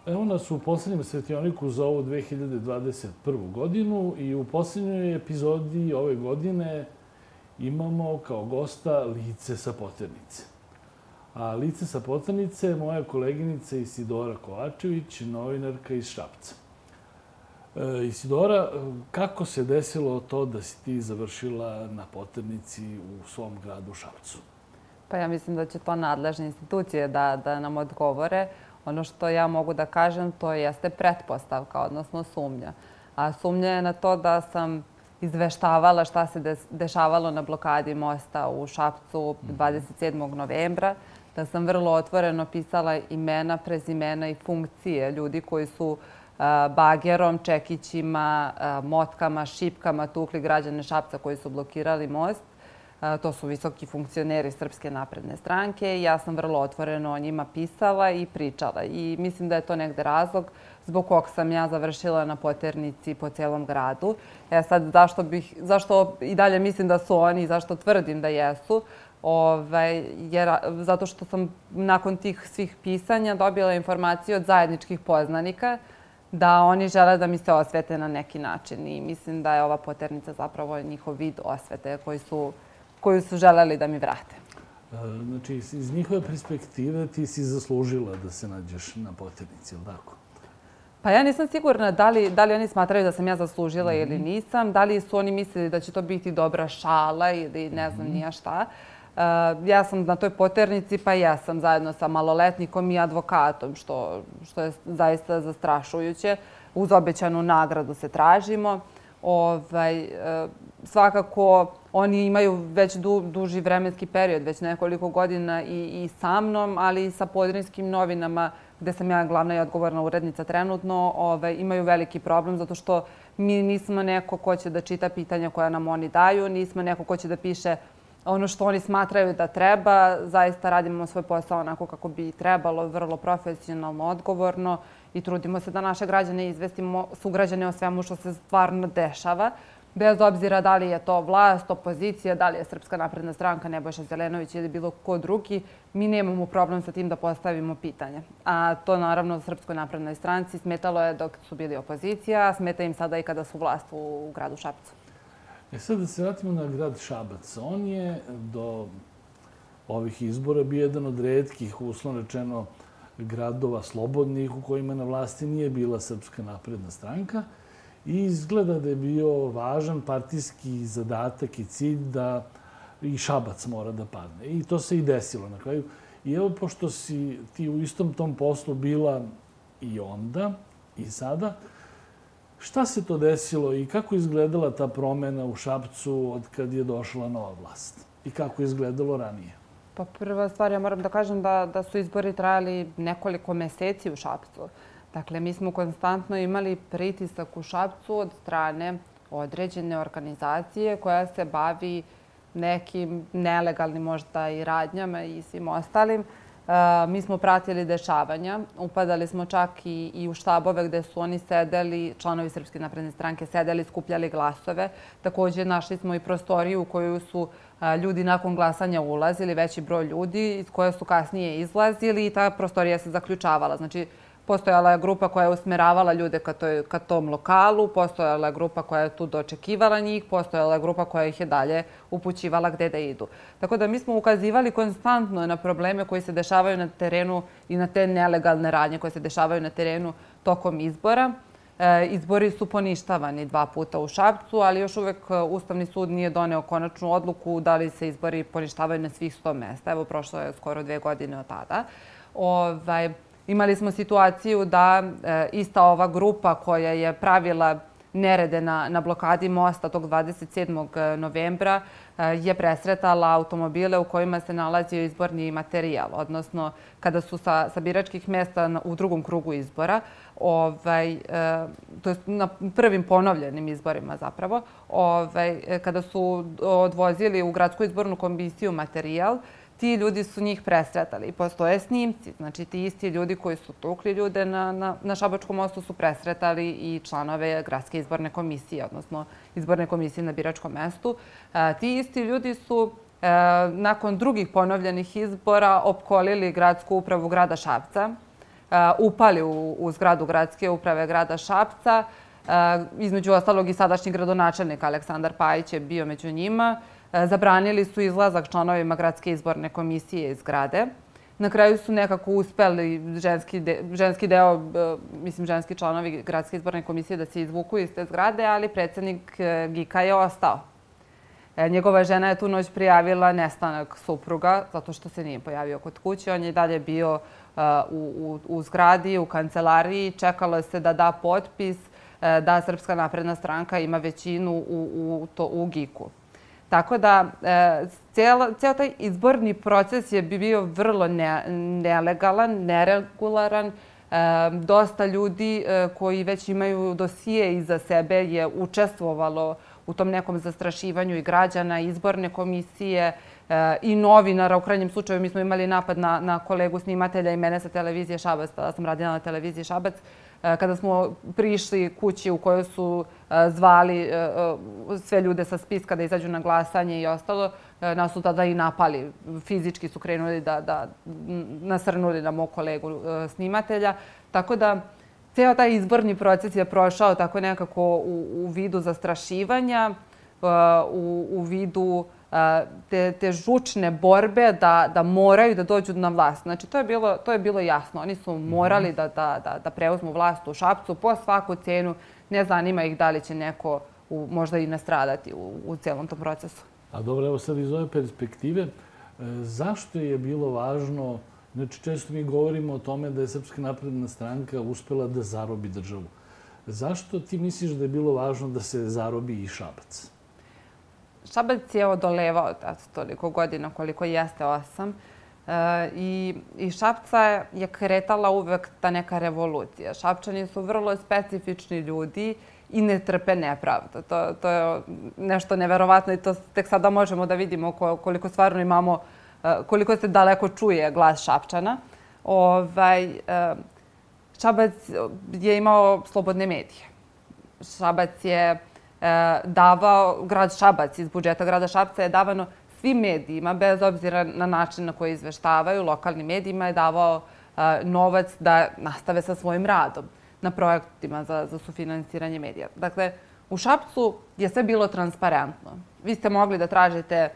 Evo nas u poslednjem svetioniku za ovu 2021. godinu i u poslednjoj epizodi ove godine imamo kao gosta lice sa poternice. A lice sa poternice je moja koleginica Isidora Kovačević, novinarka iz Šapca. Isidora, kako se desilo to da si ti završila na poternici u svom gradu Šapcu? Pa ja mislim da će to nadležne institucije da nam odgovore. Ono što ja mogu da kažem, to jeste pretpostavka, odnosno sumnja. A sumnja je na to da sam izveštavala šta se dešavalo na blokadi mosta u Šapcu 27. novembra, da sam vrlo otvoreno pisala imena, prezimena i funkcije ljudi koji su bagerom, čekićima, motkama, šipkama tukli građane Šapca koji su blokirali most. To su visoki funkcioneri Srpske napredne stranke i ja sam vrlo otvoreno o njima pisala i pričala. I mislim da je to negde razlog zbog kog sam ja završila na poternici po celom gradu. Sad, zašto i dalje mislim da su oni i zašto tvrdim da jesu? Zato što sam nakon tih svih pisanja dobila informaciju od zajedničkih poznanika da oni žele da mi se osvete na neki način. I mislim da je ova poternica zapravo njihov vid osvete koju su želeli da mi vrate. Znači, iz njihove perspektive ti si zaslužila da se nađeš na poternici, ili tako? Pa ja nisam sigurna da li oni smatraju da sam ja zaslužila ili nisam. Da li su oni mislili da će to biti dobra šala ili ne znam ni ja šta. Ja sam na toj poternici, pa ja sam zajedno sa maloletnikom i advokatom, što je zaista zastrašujuće. Uz obećanu nagradu se tražimo. Svakako, oni imaju već duži vremenski period, već nekoliko godina i sa mnom, ali i sa Podrinjskim novinama, gde sam ja glavna i odgovorna urednica trenutno, imaju veliki problem zato što mi nismo neko ko će da čita pitanja koja nam oni daju, nismo neko ko će da piše ono što oni smatraju da treba. Zaista radimo svoj posao onako kako bi trebalo, vrlo profesionalno, odgovorno i trudimo se da naše građane izvestimo, sugrađane o svemu što se stvarno dešava. Bez obzira da li je to vlast, opozicija, da li je Srpska napredna stranka, Nebojša Zelenović ili bilo ko drugi, mi nemamo problem sa tim da postavimo pitanje. A to naravno Srpskoj naprednoj stranci smetalo je dok su bili opozicija, a smeta im sada i kada su vlast u gradu Šapcu. Sad da se vratimo na grad Šabac. On je do ovih izbora bio jedan od retkih, uslovno rečeno, gradova slobodnih u kojima na vlasti nije bila Srpska napredna stranka. I izgleda da je bio važan partijski zadatak i cilj da i Šabac mora da padne. I to se i desilo na kraju. I evo, pošto si ti u istom tom poslu bila i onda i sada, šta se to desilo i kako je izgledala ta promena u Šapcu od kad je došla nova vlast? I kako je izgledalo ranije? Pa prva stvar, ja moram da kažem da su izbori trajali nekoliko meseci u Šapcu. Dakle, mi smo konstantno imali pritisak u Šapcu od strane određene organizacije koja se bavi nekim nelegalnim možda i radnjama i svim ostalim. Mi smo pratili dešavanja, upadali smo čak i u štabove gde su oni sedeli, članovi Srpske napredne stranke sedeli, skupljali glasove. Također našli smo i prostoriju u koju su ljudi nakon glasanja ulazili, veći broj ljudi iz koje su kasnije izlazili i ta prostorija se zaključavala. Znači, postojala je grupa koja je usmeravala ljude ka tom lokalu, postojala je grupa koja je tu dočekivala njih, postojala je grupa koja ih je dalje upućivala gde da idu. Tako da mi smo ukazivali konstantno na probleme koji se dešavaju na terenu i na te nelegalne radnje koje se dešavaju na terenu tokom izbora. Izbori su poništavani 2 puta u Šapcu, ali još uvek Ustavni sud nije doneo konačnu odluku da li se izbori poništavaju na svih 100 mesta. Evo, prošlo je skoro 2 godine od tada. Imali smo situaciju da ista ova grupa koja je pravila nerede na blokadi mosta tog 27. novembra je presretala automobile u kojima se nalazio izborni materijal. Odnosno, kada su sa biračkih mesta u drugom krugu izbora, to je na prvim ponovljenim izborima zapravo, kada su odvozili u gradsku izbornu komisiju materijal, ti ljudi su njih presretali. Postoje snimci. Znači, ti isti ljudi koji su tukli ljude na Šabačkom mostu su presretali i članove gradske izborne komisije, odnosno izborne komisije na biračkom mestu. Ti isti ljudi su nakon drugih ponovljenih izbora opkolili gradsku upravu grada Šapca. upali u zgradu gradske uprave grada Šapca. Između ostalog i sadašnji gradonačelnik Aleksandar Pajić je bio među njima. Zabranili su izlazak članovima gradske izborne komisije iz zgrade. Na kraju su nekako uspeli ženski članovi gradske izborne komisije da se izvuku iz te zgrade, ali predsjednik GIK-a je ostao. Njegova žena je tu noć prijavila nestanak supruga zato što se nije pojavio kod kuće. On je dalje bio u zgradi, u kancelariji. Čekalo se da da potpis da Srpska napredna stranka ima većinu u GIK-u. Tako da cijel taj izborni proces je bio vrlo nelegalan, neregularan. Dosta ljudi koji već imaju dosije iza sebe je učestvovalo u tom nekom zastrašivanju i građana, izborne komisije i novinara. U krajnjem slučaju mi smo imali napad na kolegu snimatelja i mene sa televizije Šabac, tada sam radila na televiziji Šabac, kada smo prišli kući u kojoj su zvali sve ljude sa spiska da izađu na glasanje i ostalo, nas su tada i napali. Fizički su krenuli da nasrnuli na mog kolegu snimatelja. Tako da cijel taj izborni proces je prošao tako nekako u vidu zastrašivanja, u vidu te žučne borbe da moraju da dođu na vlast. Znači, to je bilo jasno. Oni su morali da preuzmu vlast u Šapcu po svaku cijenu. Ne zanima ih da li će neko možda i nastradati u cijelom tom procesu. A dobro, evo sad iz ove perspektive, zašto je bilo važno, znači često mi govorimo o tome da je Srpska napredna stranka uspela da zarobi državu. Zašto ti misliš da je bilo važno da se zarobi i Šabac? Šabac je odolevao toliko godina koliko jeste 8. I Šapca je kretala uvek ta neka revolucija. Šapčani su vrlo specifični ljudi i ne trpe nepravdu. To je nešto neverovatno i to tek sada možemo da vidimo koliko stvarno imamo, koliko se daleko čuje glas Šapčana. Šabac je imao slobodne medije. Šabac je grad Šabac iz budžeta grada Šapca je davano svim medijima, bez obzira na način na koji izveštavaju, lokalnim medijima je davao novac da nastave sa svojim radom na projektima za sufinansiranje medija. Dakle, u Šapcu je sve bilo transparentno. Vi ste mogli da tražite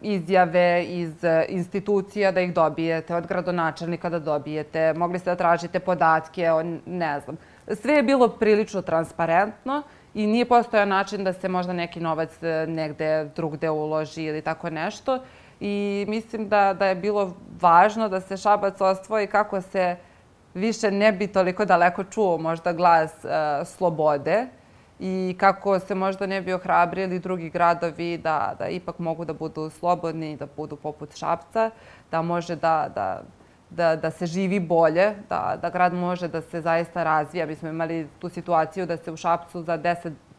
izjave iz institucija da ih dobijete, od gradonačelnika da dobijete, mogli ste da tražite podatke, ne znam. Sve je bilo prilično transparentno i nije postojao način da se možda neki novac negde drugde uloži ili tako nešto. I mislim da je bilo važno da se Šabac osvoji kako se više ne bi toliko daleko čuo možda glas slobode i kako se možda ne bi ohrabrili drugi gradovi da ipak mogu da budu slobodni, da budu poput Šapca, da može da se živi bolje, da grad može da se zaista razvija. Mi smo imali tu situaciju da se u Šapcu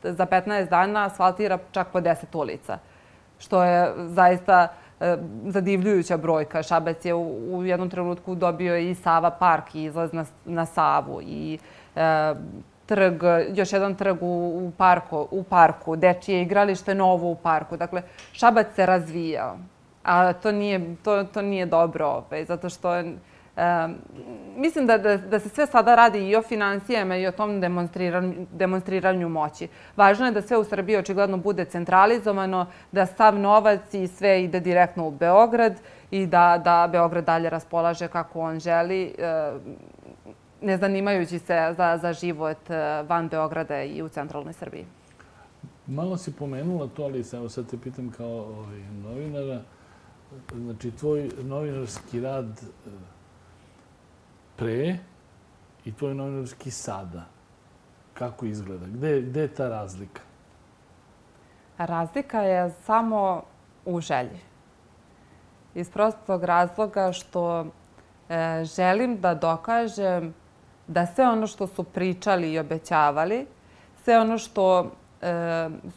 za 15 dana asfaltira čak po 10 ulica, što je zaista zadivljujuća brojka. Šabac je u jednom trenutku dobio i Sava park, i izlaz na Savu, i još jedan trg u parku, dečije igralište novo u parku. Dakle, Šabac se razvijao. A to nije dobro, zato što mislim da se sve sada radi i o finansijama i o tom demonstriranju moći. Važno je da sve u Srbiji očigledno bude centralizovano, da sav novac i sve ide direktno u Beograd i da Beograd dalje raspolaže kako on želi, ne zanimajući se za život van Beograda i u centralnoj Srbiji. Malo si pomenula to, ali sad te pitam kao novinara. Znači, tvoj novinarski rad pre i tvoj novinarski sada, kako izgleda? Gde je ta razlika? Razlika je samo u želji. Iz prostog razloga što želim da dokažem da sve ono što su pričali i obećavali, sve ono što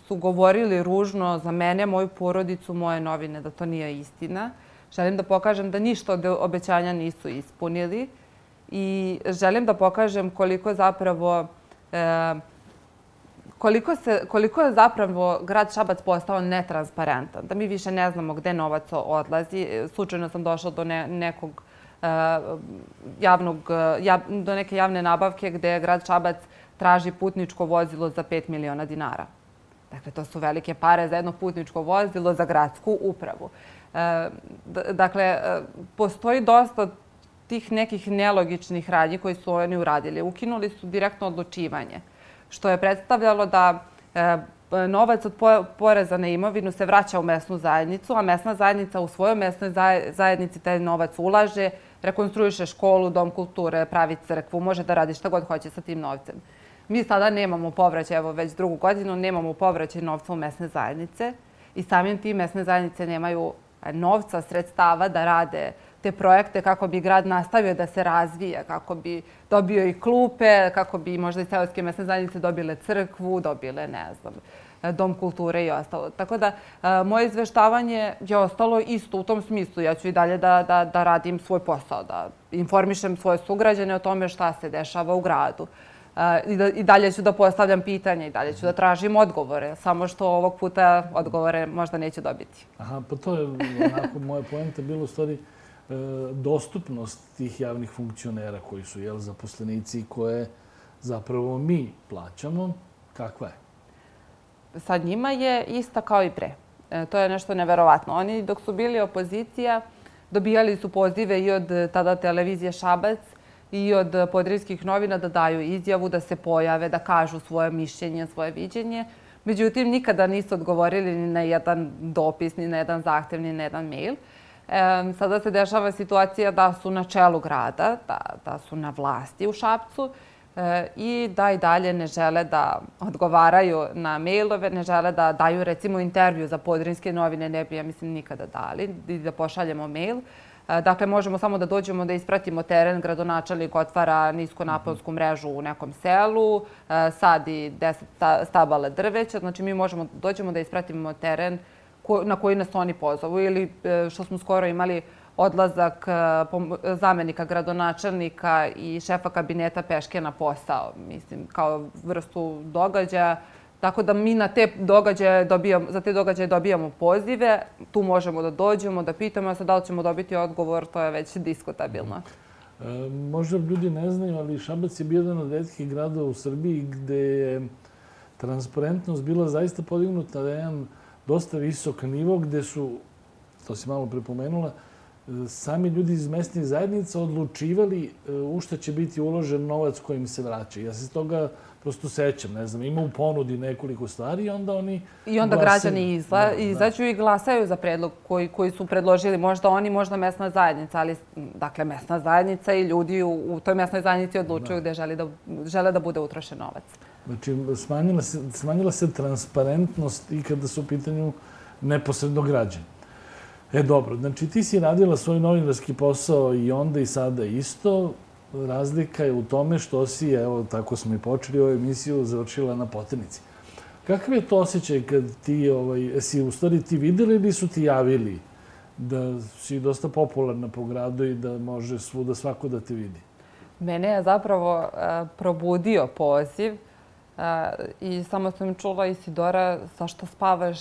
su govorili ružno za mene, moju porodicu, moje novine, da to nije istina. Želim da pokažem da ništa od obećanja nisu ispunili i želim da pokažem koliko je zapravo grad Šabac postao netransparentan, da mi više ne znamo gde novac odlazi. Slučajno sam došla do nekog do neke javne nabavke gde grad Šabac traži putničko vozilo za 5 miliona dinara. Dakle, to su velike pare za jedno putničko vozilo za gradsku upravu. Dakle, postoji dosta tih nekih nelogičnih radnji koji su oni uradili. Ukinuli su direktno odlučivanje, što je predstavljalo da novac od poreza na imovinu se vraća u mesnu zajednicu, a mesna zajednica u svojoj mesnoj zajednici taj novac ulaže, rekonstruiše školu, dom kulture, pravi crkvu, može da radi šta god hoće sa tim novcem. Mi sada nemamo povraćaj, evo već drugu godinu, nemamo povraćaj novca u mesne zajednice i samim tim mesne zajednice nemaju novca, sredstava da rade te projekte kako bi grad nastavio da se razvija, kako bi dobio i klupe, kako bi možda i seoske mesne zajednice dobile crkvu, dobile, ne znam, dom kulture i ostalo. Tako da moje izveštavanje je ostalo isto u tom smislu. Ja ću i dalje da radim svoj posao, da informišem svoje sugrađane o tome šta se dešava u gradu. I dalje ću da postavljam pitanja i dalje ću da tražim odgovore, samo što ovog puta odgovore možda neću dobiti. Aha, pa to je onako moja poenta bilo u stvari dostupnost tih javnih funkcionera koji su zaposlenici koje zapravo mi plaćamo. Kakva je? Sa njima je ista kao i pre. To je nešto neverovatno. Oni dok su bili opozicija dobijali su pozive i od tada televizije Šabac i od Podravskih novina da daju izjavu, da se pojave, da kažu svoje mišljenje, svoje viđenje. Međutim, nikada nisu odgovorili ni na jedan dopis, ni na jedan zahtev, ni na jedan mail. Sada se dešava situacija da su na čelu grada, da su na vlasti u Šapcu i da i dalje ne žele da odgovaraju na mailove, ne žele da daju recimo intervju za Podravske novine, ne bi, ja mislim, nikada dali, da pošaljemo mail. Dakle, možemo samo da dođemo da ispratimo teren, gradonačelnik otvara niskonaponsku mrežu u nekom selu, sadi 10 stabala drveća, znači mi možemo dođemo da ispratimo teren na koji nas oni pozovu ili što smo skoro imali odlazak zamenika gradonačelnika i šefa kabineta peške na posao, mislim, kao vrstu događaja. Tako da mi za te događaje dobijamo pozive, tu možemo da dođemo, da pitamo, a sad da li ćemo dobiti odgovor, to je već diskutabilno. Možda ljudi ne znaju, ali Šabac je bio jedan od retkih gradova u Srbiji gde je transparentnost bila zaista podignuta na jedan dosta visok nivo, gde su, to si malo prepomenula, sami ljudi iz mesnih zajednica odlučivali u šta će biti uložen novac kojim se vraća. Ja se toga prosto sećam, ne znam, ima u ponudi nekoliko stvari i onda oni I onda građani izađu i glasaju za predlog koji su predložili. Možda oni, možda mesna zajednica, ali dakle mesna zajednica i ljudi u toj mesnoj zajednici odlučuju gde žele da bude utrošen novac. Znači, smanjila se transparentnost i kada su u pitanju neposredno građani. Dobro, znači ti si radila svoj novinarski posao i onda i sada isto. Razlika je u tome što si, evo, tako smo i počeli ovu emisiju, završila na Poternici. Kakav je to osjećaj kad ti, si u stvari ti videli ili su ti javili da si dosta popularna po gradu i da može svuda svako da te vidi? Mene je zapravo probudio poziv i samo sam čula, Isidora, zašto spavaš,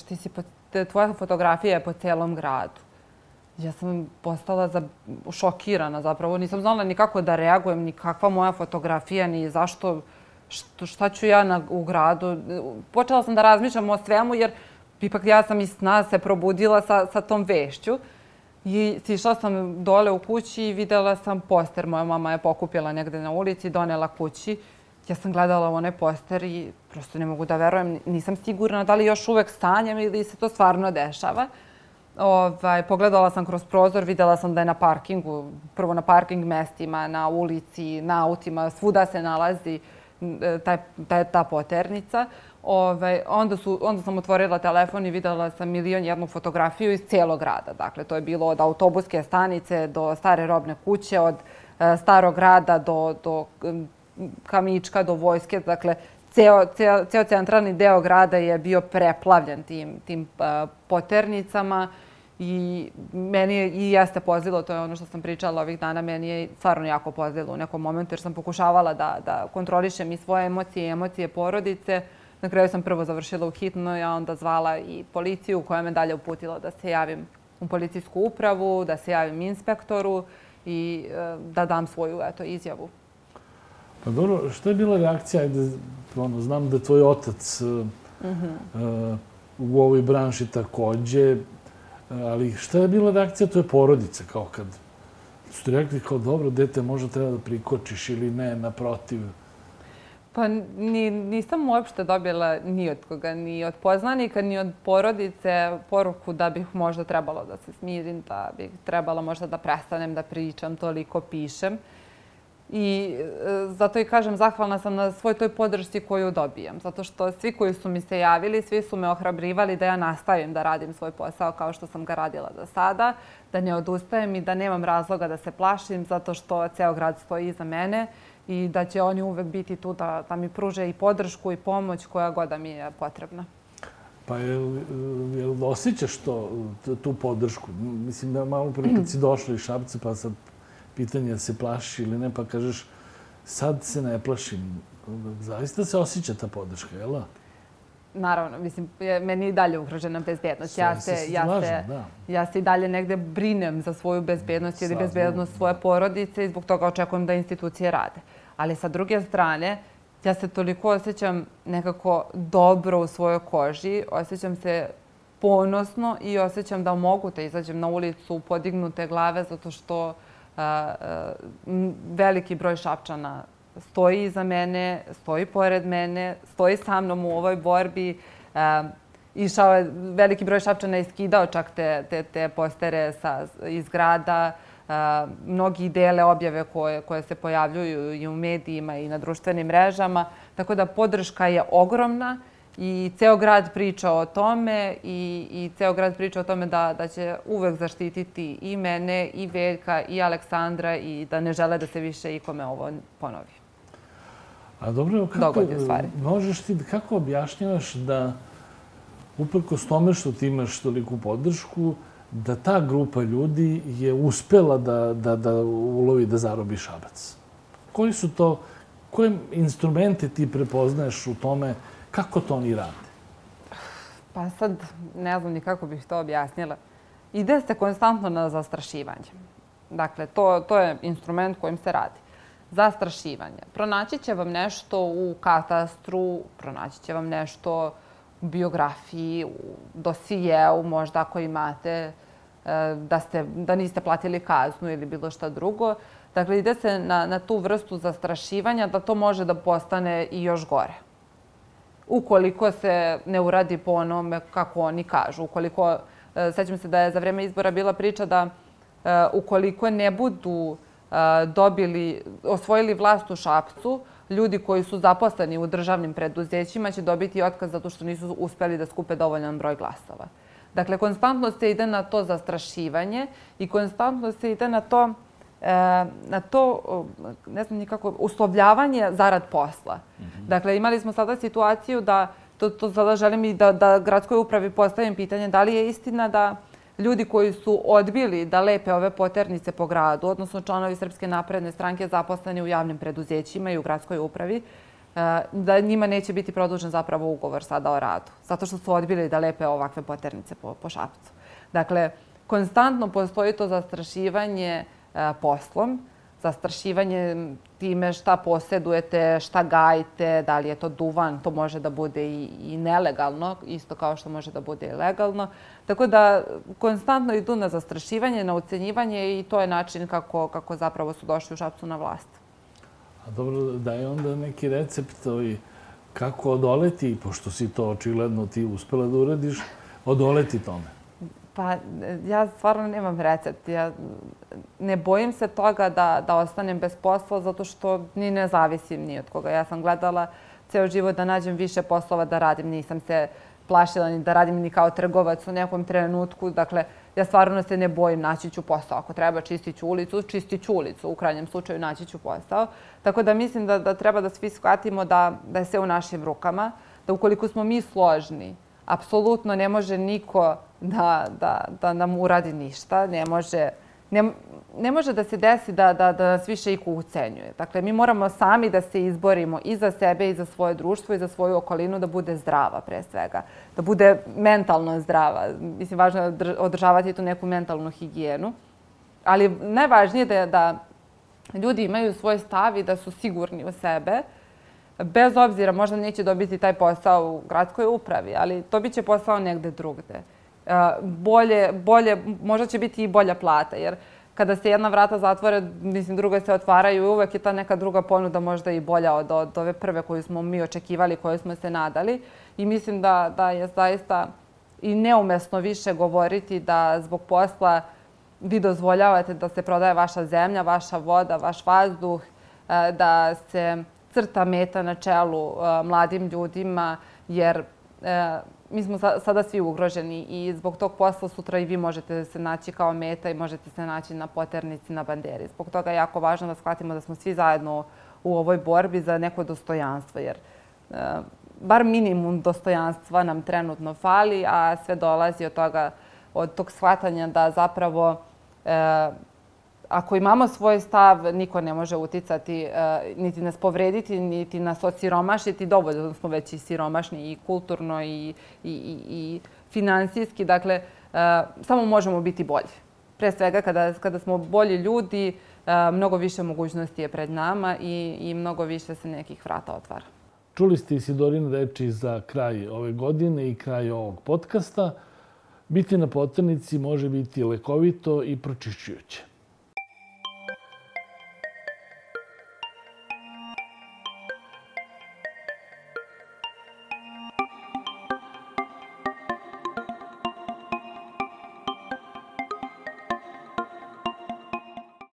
tvoja fotografija je po celom gradu. Ja sam postala šokirana zapravo. Nisam znala ni kako da reagujem, ni kakva moja fotografija, ni zašto, šta ću ja u gradu. Počela sam da razmišljam o svemu jer ipak ja sam iz sna se probudila sa tom vešću. I sišla sam dole u kući i videla sam poster. Moja mama je pokupila negde na ulici, donela kući. Ja sam gledala onaj poster i prosto ne mogu da verujem. Nisam sigurna da li još uvek sanjam ili se to stvarno dešava. Pogledala sam kroz prozor, videla sam da je na parkingu, prvo na parking mestima, na ulici, na autima, svuda se nalazi ta poternica. Onda sam otvorila telefon i videla sam 1.001 fotografiju iz cijelog grada. Dakle, to je bilo od autobuske stanice do stare robne kuće, od starog grada do Kamička, do vojske. Dakle, ceo centralni deo grada je bio preplavljen tim poternicama i meni je i jeste pozlilo, to je ono što sam pričala ovih dana, meni je stvarno jako pozlilo u nekom momentu jer sam pokušavala da kontrolišem i svoje emocije i emocije porodice. Na kraju sam prvo završila u hitnoj, a onda zvala i policiju koja me dalje uputila da se javim u policijsku upravu, da se javim inspektoru i da dam svoju izjavu. Pa dobro, što je bila reakcija? Znam da je tvoj otac u ovoj branši takođe, ali šta je bila reakcija tvoje porodice? Kao kad su ti rekli kao dobro, dete, možda treba da prikočiš ili ne, naprotiv? Pa nisam uopšte dobila ni od koga, ni od poznanika, ni od porodice poruku da bih možda trebalo da se smirim, da bih trebala možda da prestanem da pričam, toliko pišem. I zato i kažem, zahvalna sam na svoj toj podršci koju dobijam. Zato što svi koji su mi se javili, svi su me ohrabrivali da ja nastavim da radim svoj posao kao što sam ga radila do sada, da ne odustajem i da nemam razloga da se plašim zato što ceo grad stoji iza mene i da će oni uvek biti tu da mi pruže i podršku i pomoć koja god da mi je potrebna. Pa jel osjećaš tu podršku? Mislim da malo prije kad si došla iz Šapca, pa sad pitanje da se plašiš ili ne, pa kažeš sad se ne plašim. Zaista se osjeća ta podrška, jel? Naravno, mislim, meni je i dalje ugrožena bezbednost. Ja se i dalje negde brinem za svoju bezbednost ili bezbednost svoje porodice i zbog toga očekujem da institucije rade. Ali sa druge strane, ja se toliko osjećam nekako dobro u svojoj koži, osjećam se ponosno i osjećam da mogu da izađem na ulicu podignute glave zato što veliki broj Šapčana stoji iza mene, stoji pored mene, stoji sa mnom u ovoj borbi. Išao je veliki broj Šapčana i skidao čak te postere iz grada. Mnogi dele objave koje se pojavljuju i u medijima i na društvenim mrežama. Tako da podrška je ogromna i ceo grad priča o tome i ceo grad priča o tome da će uvek zaštititi i mene, i Veljka, i Aleksandra i da ne žele da se više ikome ovo ponovi. A dobro, kako objašnjavaš da uprkos tome što ti imaš toliku podršku, da ta grupa ljudi je uspela da ulovi, da zarobi Šabac? Koje instrumente ti prepoznaješ u tome kako to oni rade? Pa sad ne znam ni kako bih to objasnila. Ide se konstantno na zastrašivanje. Dakle, to je instrument kojim se radi. Zastrašivanje. Pronaći će vam nešto u katastru, pronaći će vam nešto u biografiji, u dosijeu, možda ako imate da niste platili kaznu ili bilo šta drugo. Dakle, ide se na tu vrstu zastrašivanja da to može da postane i još gore. Ukoliko se ne uradi po onome kako oni kažu. Sećam se da je za vreme izbora bila priča da ukoliko ne budu osvojili vlast u Šapcu, ljudi koji su zaposleni u državnim preduzećima će dobiti otkaz zato što nisu uspeli da skupe dovoljan broj glasova. Dakle, konstantno se ide na to zastrašivanje i konstantno se ide na to, ne znam nikako, uslovljavanje zarad posla. Dakle, imali smo sada situaciju da, to sada želim i da gradskoj upravi postavim pitanje, da li je istina da ljudi koji su odbili da lepe ove poternice po gradu, odnosno članovi Srpske napredne stranke zaposleni u javnim preduzećima i u gradskoj upravi, da njima neće biti produžen zapravo ugovor sada o radu, zato što su odbili da lepe ovakve poternice po Šapcu. Dakle, konstantno postoji to zastrašivanje poslom, zastrašivanje time šta posedujete, šta gajite, da li je to duvan, to može da bude i nelegalno, isto kao što može da bude i legalno. Tako da konstantno idu na zastrašivanje, na ucenjivanje i to je način kako zapravo su došli u Šapcu na vlast. A dobro, daj onda neki recept kako odoleti, pošto si to očigledno ti uspela da uradiš, odoleti tome. Pa ja stvarno nemam recept. Ja ne bojim se toga da ostanem bez posla zato što ni ne zavisim ni od koga. Ja sam gledala ceo život da nađem više poslova da radim. Nisam se plašila ni da radim ni kao trgovac u nekom trenutku. Dakle, ja stvarno se ne bojim, naći ću posao. Ako treba čistit ću ulicu. U krajnjem slučaju naći ću posao. Tako da mislim da treba da svi shvatimo da je sve u našim rukama. Da ukoliko smo mi složni, apsolutno ne može niko da nam uradi ništa. Ne može da se desi da nas više iko ucenjuje. Dakle, mi moramo sami da se izborimo i za sebe i za svoje društvo i za svoju okolinu da bude zdrava pre svega. Da bude mentalno zdrava. Mislim, važno je održavati tu neku mentalnu higijenu. Ali najvažnije je da ljudi imaju svoj stav i da su sigurni u sebe. Bez obzira, možda neće dobiti taj posao u gradskoj upravi, ali dobit će posao negde drugde. Možda će biti i bolja plata, jer kada se jedna vrata zatvore, mislim, druga se otvaraju i uvek je ta neka druga ponuda možda i bolja od ove prve koju smo mi očekivali, koju smo se nadali. I mislim da je zaista i neumesno više govoriti da zbog posla vi dozvoljavate da se prodaje vaša zemlja, vaša voda, vaš vazduh, da se crta meta na čelu mladim ljudima, jer mi smo sada svi ugroženi i zbog tog posla sutra i vi možete se naći kao meta i možete se naći na poternici, na banderi. Zbog toga je jako važno da shvatimo da smo svi zajedno u ovoj borbi za neko dostojanstvo, jer bar minimum dostojanstva nam trenutno fali, a sve dolazi od tog shvatanja da zapravo ako imamo svoj stav, niko ne može uticati, niti nas povrediti, niti nas osiromašiti. Dovoljno smo već i siromašni i kulturno i finansijski. Dakle, samo možemo biti bolji. Pre svega, kada smo bolji ljudi, mnogo više mogućnosti je pred nama i mnogo više se nekih vrata otvara. Čuli ste Isidorine reči za kraj ove godine i kraj ovog podcasta. Biti na poternici može biti lekovito i pročišćujuće.